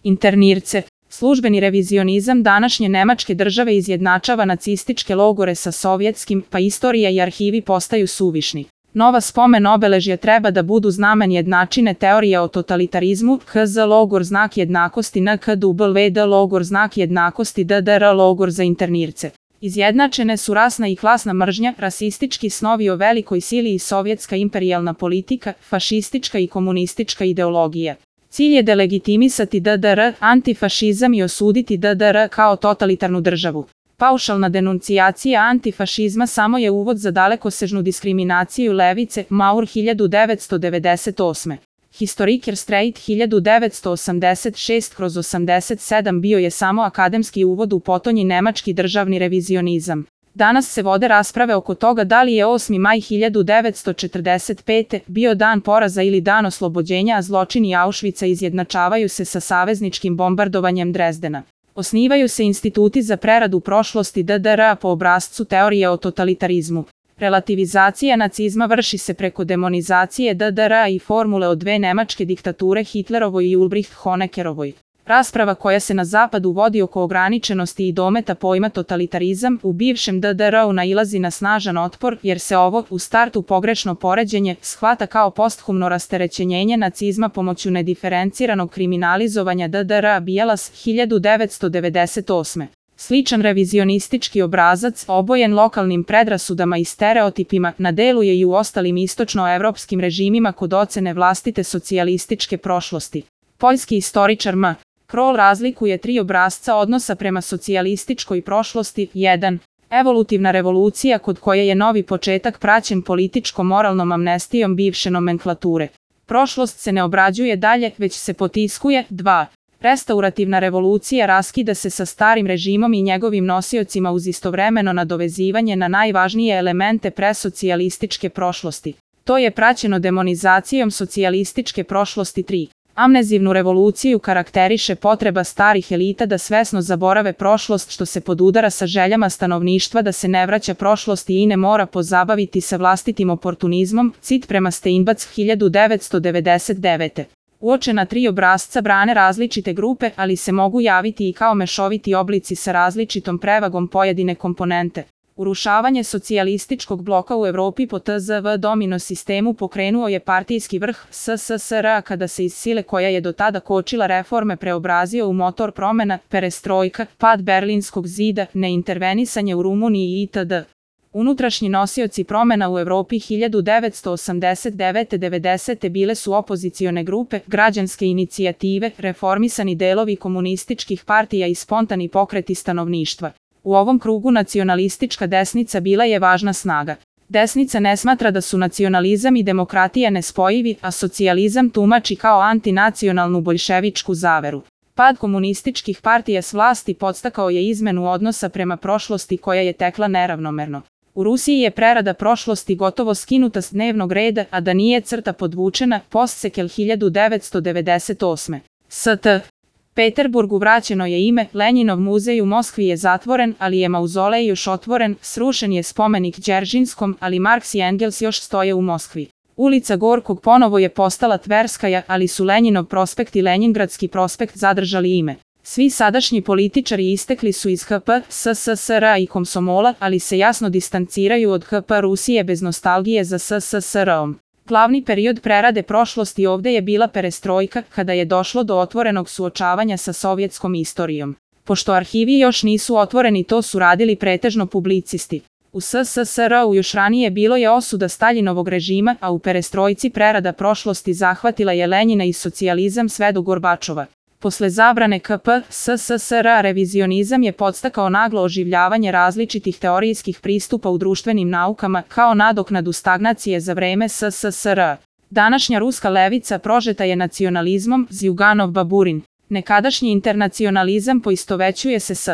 Internirce. Službeni revizionizam današnje Nemačke države izjednačava nacističke logore sa sovjetskim, pa istorija i arhivi postaju suvišni. Nova spomen obeležja treba da budu znamen jednačine teorije o totalitarizmu, HZ logor znak jednakosti NKWD logor znak jednakosti DDR logor za internirce. Izjednačene su rasna i klasna mržnja, rasistički snovi o velikoj sili i sovjetska imperijalna politika, fašistička i komunistička ideologija. Cilj je delegitimisati DDR, antifašizam i osuditi DDR kao totalitarnu državu. Paušalna denuncijacija antifašizma samo je uvod za dalekosežnu diskriminaciju levice, Maur 1998. Historiker Streit 1986/87 bio je samo akademski uvod u potonji nemački državni revizionizam. Danas se vode rasprave oko toga da li je 8. maj 1945. bio dan poraza ili dan oslobođenja, a zločini Auschwitza izjednačavaju se sa savezničkim bombardovanjem Drezdena. Osnivaju se instituti za preradu prošlosti DDR-a po obrascu teorije o totalitarizmu. Relativizacija nacizma vrši se preko demonizacije DDR-a i formule o dve nemačke diktature Hitlerovoj i Ulbricht-Honeckerovoj. Rasprava koja se na zapadu vodi oko ograničenosti i dometa pojma totalitarizam u bivšem DDR-u nailazi na snažan otpor, jer se ovo, u startu pogrešno poređenje, shvata kao posthumno rasterećenjenje nacizma pomoću nediferenciranog kriminalizovanja DDR-a Bielas 1998. Sličan revizionistički obrazac, obojen lokalnim predrasudama i stereotipima, na delu je i u ostalim istočnoevropskim režimima kod ocene vlastite socijalističke prošlosti. Poljski istoričar M. Kroll razlikuje tri obrasca odnosa prema socijalističkoj prošlosti. 1. Evolutivna revolucija kod koje je novi početak praćen političko-moralnom amnestijom bivše nomenklature. Prošlost se ne obrađuje dalje, već se potiskuje. 2. Restaurativna revolucija raskida se sa starim režimom i njegovim nosiocima uz istovremeno nadovezivanje na najvažnije elemente presocijalističke prošlosti. To je praćeno demonizacijom socijalističke prošlosti. 3. Amnezivnu revoluciju karakteriše potreba starih elita da svesno zaborave prošlost, što se podudara sa željama stanovništva da se ne vraća prošlosti i ne mora pozabaviti sa vlastitim oportunizmom. Cit prema Steinbatz 1999. Uočena tri obrasca brane različite grupe, ali se mogu javiti i kao mešoviti oblici sa različitom prevagom pojedine komponente. Urušavanje socijalističkog bloka u Evropi po TZV domino sistemu pokrenuo je partijski vrh SSSR-a kada se iz sile koja je do tada kočila reforme preobrazio u motor promjena, perestrojka, pad Berlinskog zida, neintervenisanje u Rumuniji itd. Unutrašnji nosioci promjena u Evropi 1989-90 bile su opozicione grupe, građanske inicijative, reformisani delovi komunističkih partija i spontani pokreti stanovništva. U ovom krugu nacionalistička desnica bila je važna snaga. Desnica ne smatra da su nacionalizam i demokratija nespojivi, a socijalizam tumači kao antinacionalnu boljševičku zaveru. Pad komunističkih partija s vlasti podstakao je izmenu odnosa prema prošlosti koja je tekla neravnomerno. U Rusiji je prerada prošlosti gotovo skinuta s dnevnog reda, a da nije crta podvučena, Postsekel 1998. St. Peterburgu vraćeno je ime, Lenjinov muzej u Moskvi je zatvoren, ali je mauzolej još otvoren, srušen je spomenik Đeržinskom, ali Marks i Engels još stoje u Moskvi. Ulica Gorkog ponovo je postala Tverskaja, ali su Lenjinov prospekt i Lenjingradski prospekt zadržali ime. Svi sadašnji političari istekli su iz HP, SSSR-a i Komsomola, ali se jasno distanciraju od HP Rusije bez nostalgije za SSSR-om. Glavni period prerade prošlosti ovdje je bila perestrojka, kada je došlo do otvorenog suočavanja sa sovjetskom istorijom. Pošto arhivi još nisu otvoreni, to su radili pretežno publicisti. U SSSR-u još ranije bilo je osuda Staljinovog režima, a u perestrojci prerada prošlosti zahvatila je Lenjina i socijalizam sve do Gorbačova. Posle zabrane KP, SSSR-a revizionizam je podstakao naglo oživljavanje različitih teorijskih pristupa u društvenim naukama kao nadoknadu stagnacije za vreme SSSR-a. Današnja ruska levica prožeta je nacionalizmom, Zjuganov Baburin. Nekadašnji internacionalizam poistovećuje se s